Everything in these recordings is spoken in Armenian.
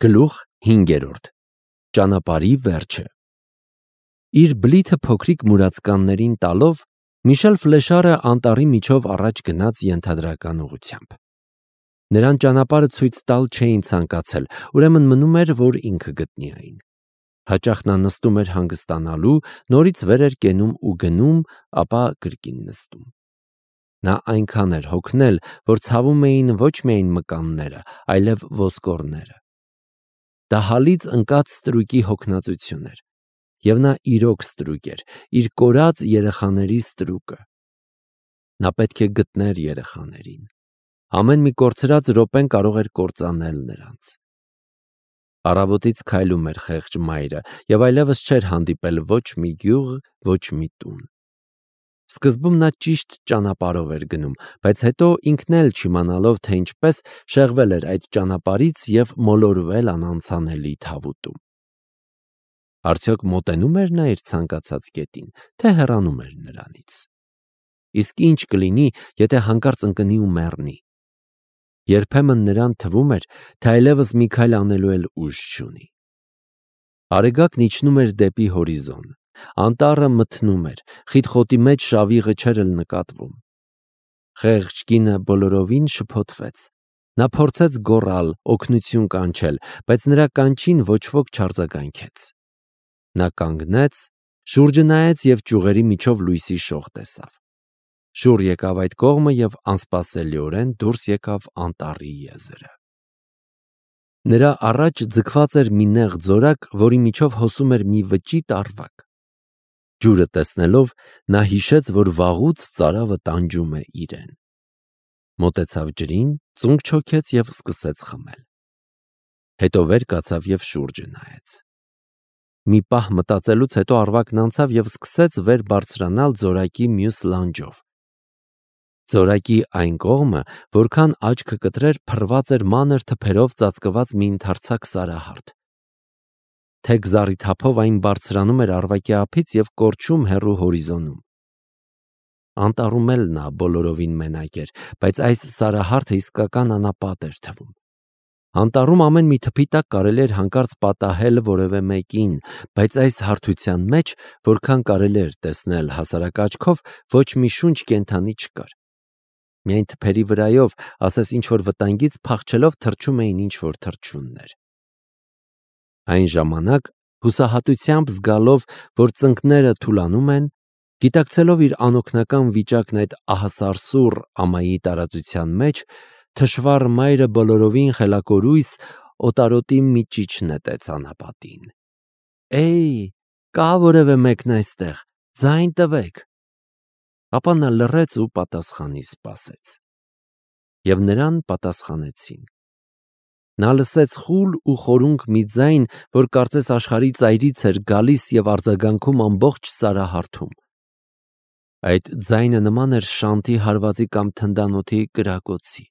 Գլուխ 5. Ճանապարհի վերջը։ Իր բլիթը փոքրիկ մուրացկաններին տալով, Միշել Ֆլեշարը անտառի միջով առաջ գնաց ենթադրական ուղղությամբ։ Նրան ճանապարհը ցույց տալ չէին ցանկացել, ուրեմն մնում էր, որ ինքը գտնի այն։ Հաճախ նա նստում էր հանգստանալու, նորից վեր էր կենում ու գնում, ապա կրկին նստում։ Նա այնքան էր հոգնել, որ ցավում էին ոչ միայն մկանները, այլև ոսկորները։ Դա հալից ընկած ստրուկի հոգնածություն էր, և նա իրոք ստրուկ էր, իր կորած երեխաների ստրուկը։ Նա պետք է գտներ երեխաներին։ Ամեն մի կորցրած րոպեն կարող էր կործանել նրանց։ Առավոտից քայլում էր խեղճ մայրը և այլևս չէր հանդիպել ոչ մի գյուղ, ոչ մի տուն։ Սկզբում նա ճիշտ ճանապարհով էր գնում, բայց հետո ինքն էլ չիմանալով, թե ինչպես, շեղվել էր այդ ճանապարհից և մոլորվել անանցանելի թավուտում։ Արդյոք մոտենում էր նա իր ցանկացած կետին, թե հեռանում էր նրանից։ Իսկ ինչ կլինի, եթե հանկարծ ընկնի ու մեռնի։ Երբեմն նրան թվում էր, թե այլևս մի քայլ անելու էլ ուժ չունի։ Արեգակն իջնում էր դեպի հորիզոն, անտառը մթնում էր, խիտ խոտի մեջ շավիղը չէր էլ նկատվում։ Խեղճ կինը բոլորովին շփոթվեց։ Նա փորձեց գոռալ, օգնություն կանչել, բայց նրա կանչին ոչ ոք չարձագանքեց։ Նա կանգնեց, շուրջը նայեց և ճյուղերի միջով լույսի շող տեսավ։ Շուռ եկավ այդ կողմը և անսպասելիորեն դուրս եկավ անտառի եզրը։ Նրա առաջ ձգված էր մի նեղ ձորակ, որի միջով հոսում էր մի վճիտ առվակ։ Ջուրը տեսնելով, նա հիշեց, որ վաղուց ծարավը տանջում է իրեն։ Մոտեցավ ջրին, ծունկ չոքեց և սկսեց խմել։ Հետո վեր կացավ և շուրջը նայեց։ Մի պահ մտածելուց հետո առվակն անցավ և սկսեց վեր բարձրանալ ձորակի մյուս լանջով։ Ձորակի այն կողմը, որքան աչքը կտրեր, փռված էր մանր թփերով ծածկված մի ընդարձակ սարահարթ։ Թեք զառիթափով այն բարձրանում էր առվակի ափից և կորչում հեռու հորիզոնում։ Անտառում էլ նա բոլորովին մենակ էր, բայց այս սարահարթը իսկական անապատ էր թվում։ Անտառում ամեն մի թփի տակ կարելի էր հանկարծ պատահել որևէ մեկին, բայց այս հարթության մեջ, որքան կարելի էր տեսնել հասարակ աչքով, ոչ մի շունչ կենդանի չկար։ Միայն թփերի վրայով, ասես ինչ-որ վտանգից փախչելով, թռչում էին ինչ-որ թռչուններ։ Այն ժամանակ, հուսահատությամբ զգալով, որ ծնկները թուլանում են, գիտակցելով իր անօգնական վիճակն այդ ահասարսուռ ամայի տարածության մեջ, թշվառ մայրը բոլորովին խելակորույս օտարոտի մի ճիչ նետեց անապատին։ «Էյ, կա՞ որևէ մեկն այստեղ, ձայն տվեք»։ Ապա նա լռեց ու պատասխանի սպասեց։ Եվ նրան պատասխանեցին։ Նա լսեց խուլ ու խորունկ մի ձայն, որ կարծես աշխարհի ծայրից էր գալիս և արձագանքում ամբողջ սարահարթում։ Այդ ձայնը նման էր շանթի հարվածի կամ թնդանոթի կրակոցի։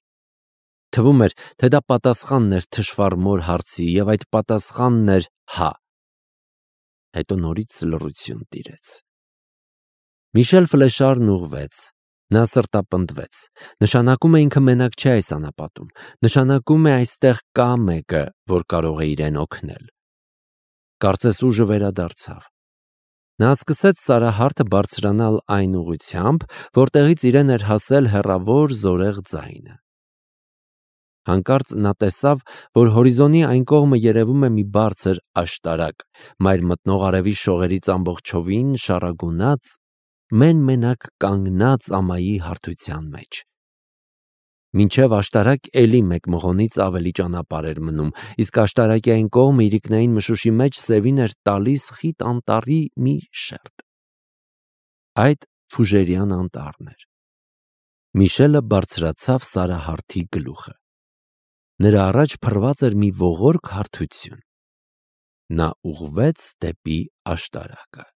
Թվում էր, թե դա պատասխանն էր թշվառ մոր հարցի, և այդ պատասխանն էր «հա»։ Հետո նորից լռություն տիրեց։ Միշել Ֆլեշարն ուղղվեց։ Նա սրտապնդվեց։ Նշանակում է ինքը մենակ չէ այս անապատում։ Նշանակում է այստեղ կա մեկը, որ կարող է իրեն օգնել։ Կարծես ուժը վերադարձավ։ Նա սկսեց սարահարթը բարձրանալ այն ուղղությամբ, որտեղից իրեն էր հասել հեռավոր զորեղ ձայնը։ Հանկարծ նա տեսավ, որ հորիզոնի այն կողմը երևում է մի բարձր աշտարակ, մայր մտնող արևի շողերից ամբողջովին շառագունած, մեն-մենակ կանգնած ամայի հարթության մեջ։ Մինչև աշտարակ էլի մեկ մղոնից ավելի ճանապարհ էր մնում, իսկ աշտարակի այն կողմը իրիկնային մշուշի մեջ սևին էր տալիս խիտ անտառի մի շերտ։ Այդ Ֆուժերյան անտառն էր։ Միշելը բարձրացավ սարահարթի գլուխը։ Նրա առաջ փռված էր մի ողորկ հարթություն։ Նա ուղղվեց դեպի աշտարակը։